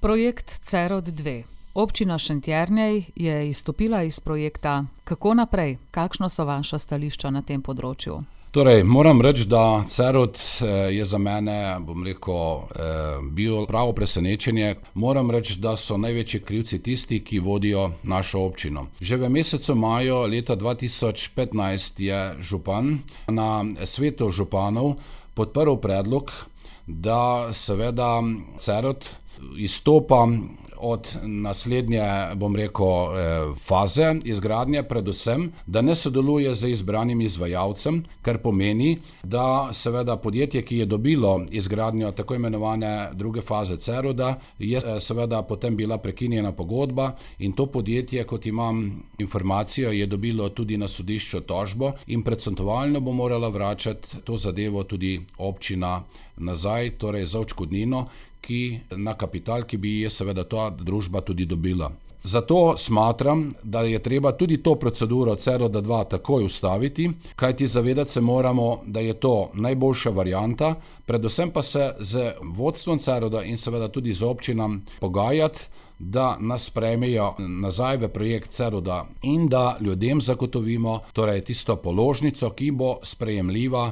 Projekt Cerod 2. Občina Šentjernej je izstopila iz projekta. Kako naprej? Kakšno so vaša stališča na tem področju? Torej, moram reči, da Cerod je za mene, bil pravo presenečenje. Moram reči, da so največji krivci tisti, ki vodijo našo občino. Že v mesecu maju leta 2015 je župan na svetu županov podprl predlog, da seveda Cerod izstopa od naslednje, faze izgradnje, predvsem, da ne sodeluje z izbranim izvajalcem, kar pomeni, da seveda podjetje, ki je dobilo izgradnjo tako imenovane druge faze Ceroda, je seveda potem bila prekinjena pogodba in to podjetje, kot imam informacijo, je dobilo tudi na sodišču tožbo in procentualno bo morala vračati to zadevo tudi občina nazaj, torej za odškodnino, na kapital, ki bi je seveda ta družba tudi dobila. Zato smatram, da je treba tudi to proceduro Ceroda 2 takoj ustaviti, kajti zavedati se moramo, da je to najboljša varianta, predvsem pa se z vodstvom Ceroda in seveda tudi z občinam pogajati, da nas sprejmejo nazaj v projekt Ceroda in da ljudem zagotovimo torej tisto položnico, ki bo sprejemljiva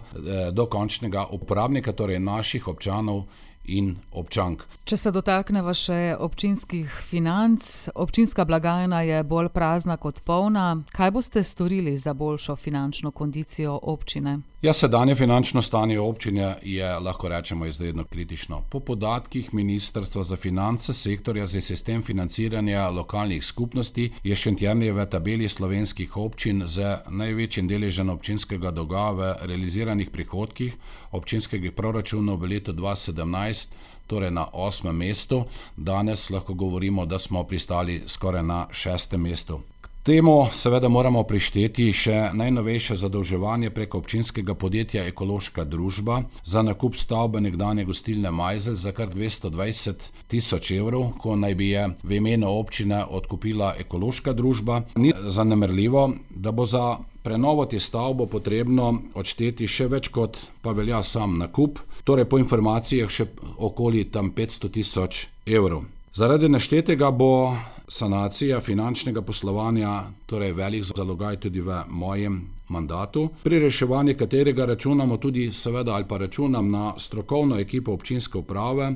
do končnega uporabnika, torej naših občanov in občank. Če se dotakneva še občinskih financ, občinska blagajna je bolj prazna kot polna. Kaj boste storili za boljšo finančno kondicijo občine? Sedanje finančno stanje občine je, lahko rečemo, izredno kritično. Po podatkih Ministrstva za finance, sektorja za sistem financiranja lokalnih skupnosti, je Šentjernej v tabeli slovenskih občin z največjim deležem občinskega dolga v realiziranih prihodkih občinskega proračuna v letu 2017, torej na 8. mestu. Danes lahko govorimo, da smo pristali skoraj na 6. mestu. Temu seveda moramo prišteti še najnovejše zadolževanje preko občinskega podjetja Ekološka družba za nakup stavbe nekdanje gostilne Majzelj za kar 220.000 evrov, ko naj bi je v imenu občine odkupila Ekološka družba. Ni zanemarljivo, da bo za prenovo te stavbe potrebno odšteti še več kot pa velja sam nakup, torej po informacijah še okoli tam 500.000 evrov. Zaradi naštetega bo sanacija finančnega poslovanja, torej velik zalogaj tudi v mojem mandatu, pri reševanju katerega računamo tudi seveda ali pa računam na strokovno ekipo občinske uprave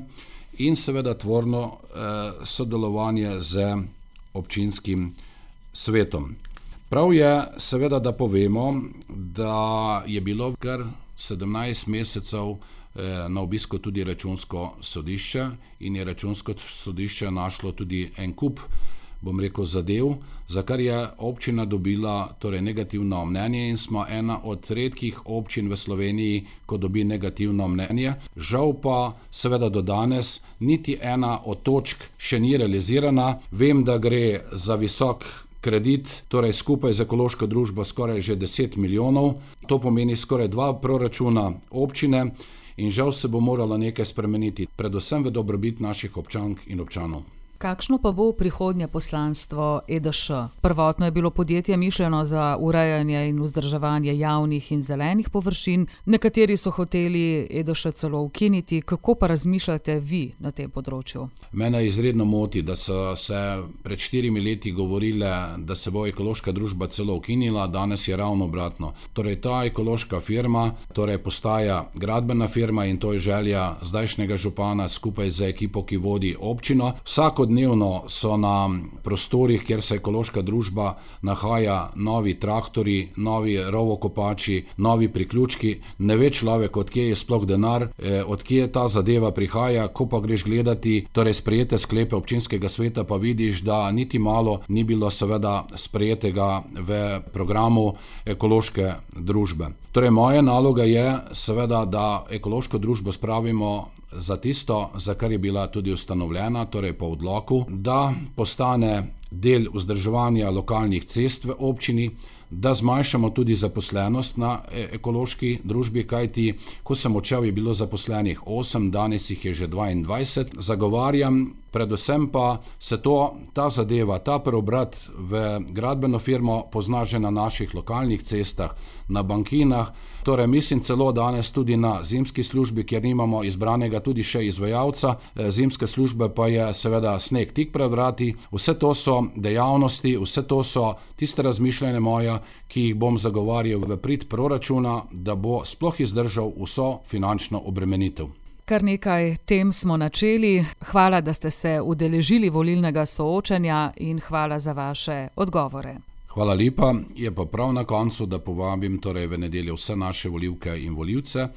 in seveda tvorno sodelovanje z občinskim svetom. Prav je seveda, da povemo, da je bilo kar 17 mesecev na obisku tudi Računsko sodišče in je Računsko sodišče našlo tudi en kup, zadev, za kar je občina dobila torej negativno mnenje in smo ena od redkih občin v Sloveniji, ko dobi negativno mnenje. Žal pa seveda do danes niti ena od točk še ni realizirana. Vem, da gre za visok kredit, torej skupaj z Ekološko družbo skoraj že 10 milijonov. To pomeni skoraj 2 proračuna občine in žal se bo moralo nekaj spremeniti, predvsem v dobrobit naših občank in občanov. Kakšno pa bo prihodnje poslanstvo EDŠ? Prvotno je bilo podjetje mišljeno za urejanje in vzdrževanje javnih in zelenih površin, nekateri so hoteli EDŠ celo ukiniti. Kako pa razmišljate vi na tem področju? Mene izredno moti, da so se pred 4 leti govorile, da se bo Ekološka družba celo ukinila, danes je ravno obratno. Torej ta ekološka firma postaja gradbena firma in to je želja zdajšnjega župana skupaj z ekipo, ki vodi občino. Vsakodnevno so na prostorih, kjer se Ekološka družba nahaja, novi traktori, novi rovokopači, novi priključki. Ne ve človek, od kje je sploh denar, od kje ta zadeva prihaja. Ko pa greš gledati sprejete sklepe občinskega sveta, pa vidiš, da niti malo ni bilo seveda sprejetega v programu Ekološke družbe. Torej moja naloga je seveda, da Ekološko družbo spravimo za tisto, za kar je bila tudi ustanovljena, torej po odloku, da postane del vzdrževanja lokalnih cest v občini, da zmanjšamo tudi zaposlenost na ekološki družbi, kajti ko sem odšel, je bilo zaposlenih 8, danes jih je že 22. Zagovarjam predvsem pa se ta zadeva, ta preobrat v gradbeno firmo pozna že na naših lokalnih cestah, na bankinah, torej mislim celo danes tudi na zimski službi, kjer nimamo izbranega tudi še izvajalca, zimske službe pa je seveda sneg tik pred vrati. Vse to so dejavnosti, vse to so tiste razmišljanja moja, ki jih bom zagovarjal v prid proračuna, da bo sploh izdržal vso finančno obremenitev. Kar nekaj tem smo načeli. Hvala, da ste se udeležili volilnega soočanja in hvala za vaše odgovore. Hvala lepa. Je pa prav na koncu, da povabim torej v nedeljo vse naše volivke in volivce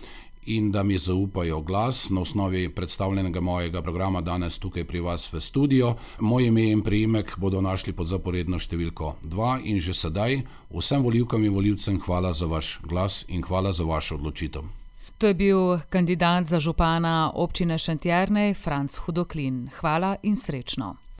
in da mi zaupajo glas na osnovi predstavljenega mojega programa danes tukaj pri vas v studio. Moje ime in priimek bodo našli pod zaporedno številko 2 in že sedaj vsem volivkam in volivcem hvala za vaš glas in hvala za vašo odločitev. To je bil kandidat za župana občine Šentjernej, Franc Hudoklin. Hvala in srečno.